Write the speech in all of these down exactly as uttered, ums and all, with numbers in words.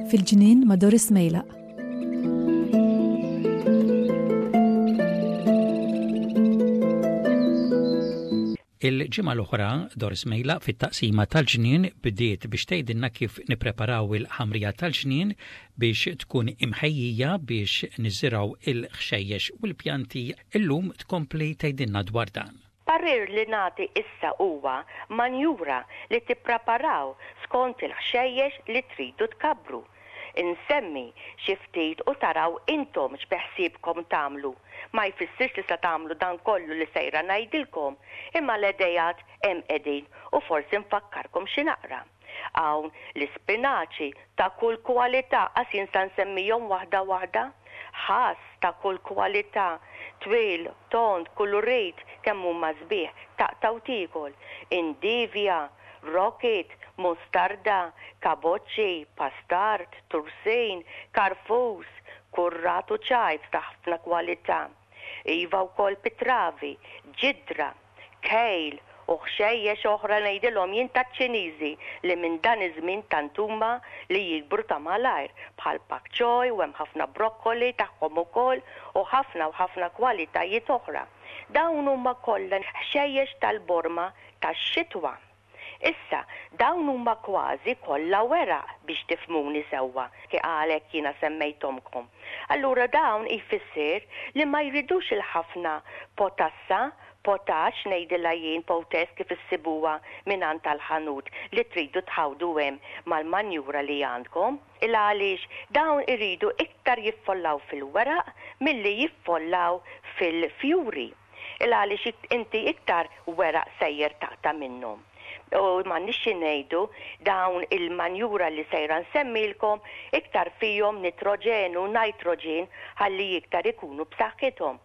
Fil-ġnien ma' Doris Mejlaq. Il-ġimgħa l-oħra Doris Mejlaq fit-taqsima tal-ġnien bdiet biex tgħidilna kif nippreparaw il-ħamrija tal-ġnien biex tkun imħejjija biex niżirgħu il-ħxejjex u l-pjanti. Illum tkompli tgħidilna dwar dan. Parir li nagħti issa huwa manjura li tippreparaw skont il-ħxejjex li tridu tkabbru. Insemmi xi ftit u taraw intom x'beħsiebkom tagħmlu. Ma jfissirx li se tagħmlu dan kollu li sejra ngħidilkom, imma l-idejat hemm qegħdin u forsi nfakkarkom xi naqra. Hawn l-ispinaċi ta' kull kwalità, qas jien sa nsemmihom waħda waħda, ħass ta' kull kwalità, twil, tond, kulurit, kemm huma sbieħ, taqta' u tiekol, indivja, rocket, mustarda, kaboċċi, pastard, tursin, karfus, kurrat u ċajt ta' ħafna kwalità. Iva wkoll pitravi, ġidra, kejl u ħxejjex oħra ngħidilhom jien taċ-Ċiniżi li minn dan iż-żmien tant huma li jikbru ta' malajr, bħal pak choy u hemm ħafna brokkoli tagħhom ukoll u ħafna u ħafna kwalitajiet oħra. Dawn huma kollha ħxejjex tal-borma tax-xitwa. Issa, dawn huma kważi kollha weraq biex tifhmuni sewwa, kif għalhekk jiena semmejthomkom. Allura dawn jfisser li ma jridux il-ħafna potassa, potax ngħidilha jien potess kif issibuha mingħand tal-ħanut li tridu tħawdu hemm mal-manjura li għandkom. Il għaliex dawn iridu iktar jiffollaw fil-weraq milli jiffollaw fil-fjuri. Il għaliex inti iktar weraq sejjer taqta' minnhom. U m'għandniex xi ngħidu, dawn il-manjura li sejra nsemmilkom iktar fihom nitroġenu, nitrogen ħalli iktar ikunu b'saħħithom.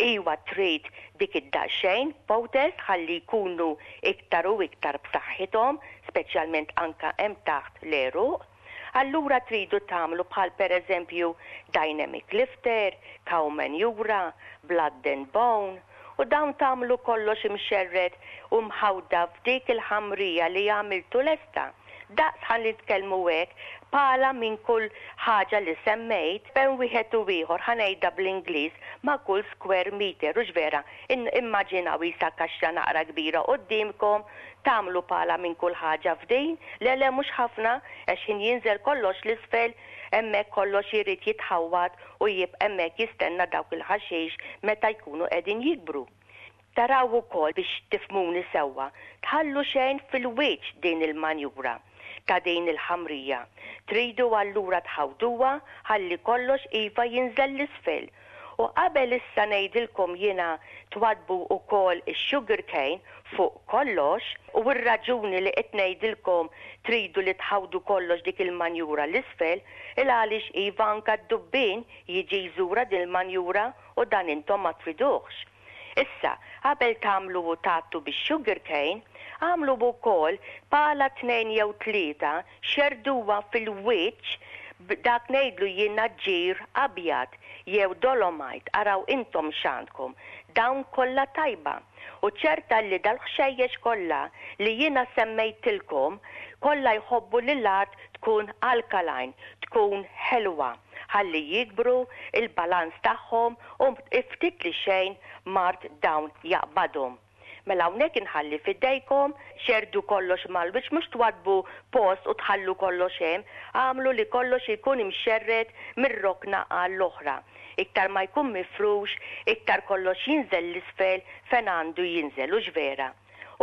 Iwa trid dik id-daqsxejn potess ħalli jkunu iktar u iktar b'saħħithom, speċjalment anka hemm taħt l-għeruq. Allura tridu tagħmlu bħal pereżempju dynamic lifter, cow manure, blood and bone, u dawn tagħmlu kollox imxerred u mħawda f'dik il-ħamrija li għamiltu lesta. Daqs ħalli nitkellmu hekk, pala minn kull ħaġa li semmejt, bejn wieħed u ieħor ħa ngħidha bl-Ingliż ma' kull square meter, u vera, immaġinaw isa kaxxa naqra kbira quddiemkom, tagħmlu pala minn kull ħaġa f'din, le le mhux ħafna, għax ħin jinżel kollox l-isfel, hemmhekk kollox irid jitħawwad u jibqa' hemmhekk jistenna dawk il-ħaxix meta jkunu qegħdin jikbru. Taraw ukoll biex tifhmuni sewwa, tħallu xejn fil-wiċċ din il-manjura ta' din il-ħamrija. Tridu allura tħawduha ħalli kollox iva jinżel l-isfel. U qabel issa ngħidilkom jiena twadbu wkoll ix-sugar cane fuq kollox, u r-raġuni li qed ngħidilkom tridu li tħawdu kollox dik il-manjura l-isfel, il għaliex iva anka d-dubbien jiġi jżura din il-manjura u dan intom ma triduhx. Issa, qabel tagħmlu u tgħattu bix-sugar cane, għamlu wkoll pala tnejn jew tlieta xerduha fil-wiċċ dak ngħidlu jiena ġir abjad jew dolomite, araw intom x'għandkom. Dawn kollha tajba. U ċerta li dal-ħxejjex kollha li jiena semmejtilkom kollha jħobbu li l-art tkun alkaline, tkun ħelwa, ħalli jikbru il-balanz tagħhom u ftit li xejn mard dawn jaqbadhom. Mela hawnhekk inħalli f'idejkom, xerdu kollox mal-wiċċ, mhux twadbu post u tħallu kollox hemm, għamlu li kollox ikun imxerred mir-rokna għall-oħra. Iktar ma jkun mifrux, iktar kollox jinżel l-isfel fejn għandu jinżel, hux vera.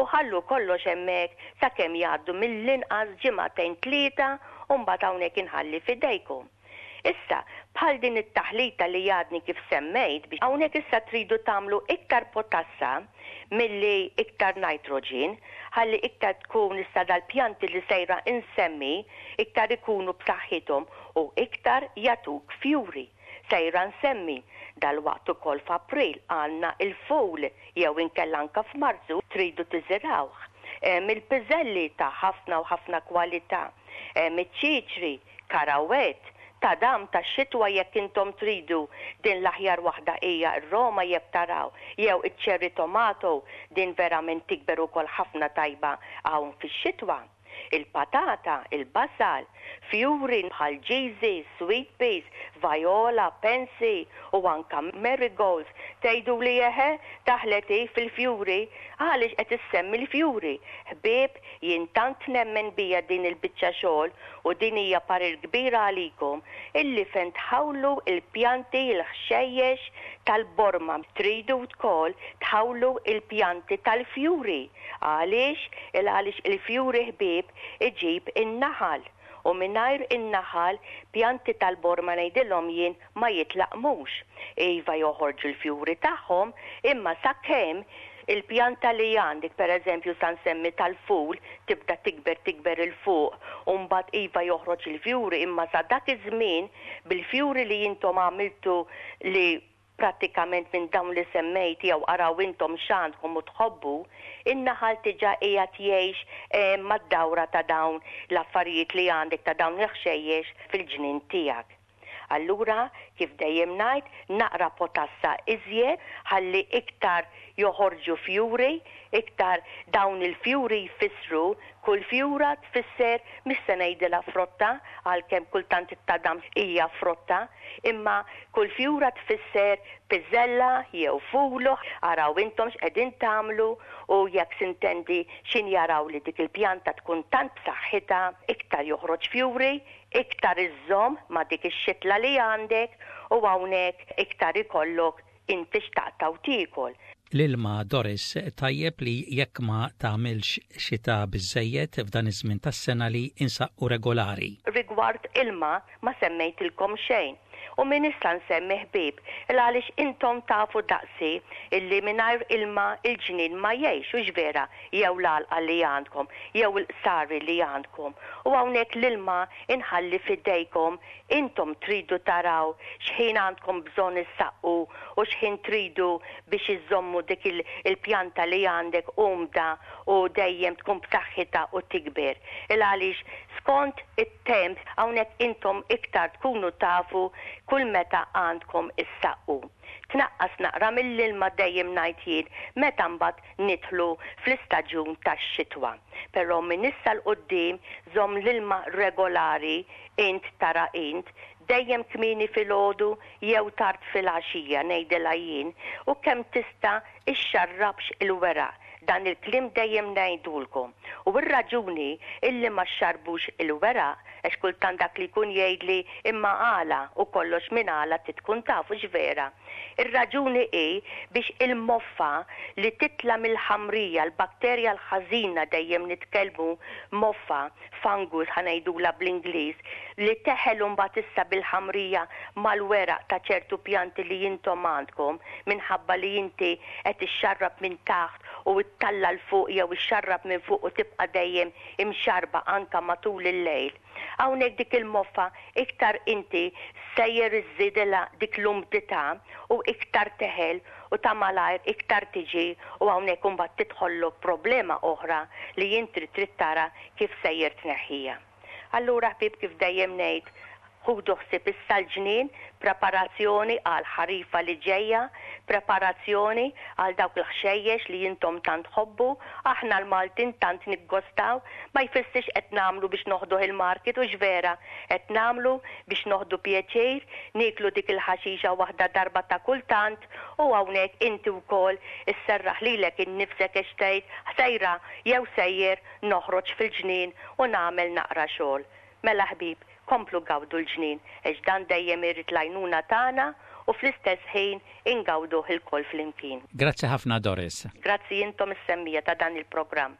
U ħallu kollox hemmhekk sakemm jgħaddu mill-inqas ġimagħtejn tlieta u mbagħad hawnhekk inħalli f'idejkom. Issa, bħal din it-taħlita li għadni kif semmejt, biex hawnhekk issa tridu tagħmlu iktar potassa milli iktar nitrogen, ħalli iktar tkun issa dal-pjanti li sejra insemmi, iktar ikunu b'saħħithom u iktar jagħtuk fjuri. Sejra nsemmi dal-waqt ukoll f'April għandna il-ful jew inkella anke f'Marzu tridu tiżirawh. Hemm il-piżelli ta' ħafna u ħafna kwalità, hemm iċ-ċiċri, karawett Tadam tax-xitwa jekk intom tridu, din l-aħjar waħda hija r-Roma jekk taraw, jew iċ-cherry tomato, din verament tikber ukoll ħafna tajba hawn fix-xitwa. Il-patata, il-basal, fjuri bħal ġiżi, sweet peas, viola, pansy u anka marigolds. Tgħidu li eħe, daħlet fil-fjuri, għaliex qed issemmi l-fjuri? Ħbieb, jien tant nemmen bija din il-biċċa xogħol u din hija parir kbira għalikom illi fejn tħawlu il-pjanti, il-ħxejjex tal-borma, tridu wkoll tħawlu il-pjanti tal-fjuri. Għaliex? Il għaliex il-fjuri, ħbieb, iġib in-naħal u mingħajr in-naħal pjanti tal-borma, ngħidilhom jien, ma jitlaqmux. Iva, joħorġu l-fjuri tagħhom, imma sakemm il-pjanta li għandek, per eżempju sa nsemmi tal-ful, tibda tikber tikber 'il fuq, u mbagħad iva joħroġ il-fjuri, imma sa dak iż-żmien bil-fjuri li intom għamiltu, li prattikament minn dawn li semmejt jew araw intom x'għandkom u tħobbu, in-naħal diġà qiegħed jgħix eh, mad-dawra ta' dawn l-affarijiet li għandek, ta' dawn il-ħxejjex fil-ġnien tiegħek. Allura, kif dejjem ngħid, naqra potassa iżjed ħalli iktar joħorġu fjuri, iktar dawn il-fjuri jfissru, kull fjura tfisser, mhix se ngħidilha frotta, għalkemm kultant it-tadam hija frotta, imma kull fjura tfisser piżella jew fulu, araw intom x'qegħdin tagħmlu u jekk s'intendi xin jaraw li dik il-pjanta tkun tant b'saħħitha, iktar joħroġ fjuri, iktar iżżomm ma' dik ix-xitla li għandek u hawnhekk iktar ikollok inti x'taqta' u tiekol. L-ilma, Doris, tajjeb li jekk ma tagħmilx xita biżejjed f'dan iż-żmien tas-sena li insaqqu regolari. Rigward ilma ma semmejtilkom xejn. U min issa nsemmi, ħbieb, il għaliex intom tafu daqsi illi mingħajr ilma il-ġnien ma jgħix, u vera, jew l-għalqa li għandkom, jew il-qsari li għandkom. U hawnhekk l-ilma inħalli fidejkom, intom tridu taraw x'ħin għandkom bżonn issaqqu u x'ħin tridu biex iżommu dik il-pjanta li għandek umda u dejjem tkun b'saħħitha u tikber. Il għaliex skont it-temp hawnhekk intom iktar tkunu tafu kull meta għandkom issaqqu. Tnaqqas naqra mill-ilma, dejjem ngħid jien, meta mbagħad nidħlu fl-istaġun tax-xitwa. Però minn issa 'l quddiem żomm l-ilma regolari, int tara int, dejjem kmieni filgħodu jew tard filgħaxija, ngħidilha jien, u kemm tista' ixxarrabx il-weraq. Dan il-kliem dejjem ngħidulkom. U r-raġuni illi ma xxarbux il-weraq, għax kultant dak li jkun jgħidli imma għala u kollox, minn għala tkun tafu x'vera. Ir-raġuni hi biex il-moffa li titla mill-ħamrija, l-bakterja l-ħażina, dejjem nitkellmu moffa, fungus ħa ngħidula bl-Ingliż, li teħel mbagħad issa bil-ħamrija mal-weraq ta' ċertu pjanti li intom għandkom, minħabba li inti qed ixxarrab minn taħt u ttella' 'l fuq jew ixxarrab minn fuq u tibqa' dejjem imxarba anka matul il-lejl. Hawnhekk dik il-moffa iktar inti sejjer iżżidilha dik l-umdità u iktar teħel u ta' malajr iktar tiġi u hawnhekk imbagħad tidħollok problema oħra li inti trid tara kif sejjer tneħħija. Allura, ħbieb, kif dejjem ngħid, ħudu ħsieb issa l-ġnien, preparazzjoni għal ħarifa li ġejja, preparazzjoni għal dawk il-ħxejjex li intom tant tħobbu, aħna l-Maltin tant niggostaw, ma jfissirx qed nagħmlu biex noħdu il-market, u vera, qed nagħmlu biex noħdu pjaċir, niklu dik il-ħaxixa waħda darba ta' kultant u hawnhekk inti wkoll isserraħ lilek innifsek għax tgħid sejra jew sejjer noħroġ fil-ġnien u nagħmel naqra xogħol. Mela ħbieb, komplu gawdu l-ġnien, għax dan dejjem irid l-għajnuna tagħna u fl-istess ħin ingawduh ilkoll flimkien. Grazzi ħafna, Doris. Grazzi intom is-semmija ta' dan il-programm.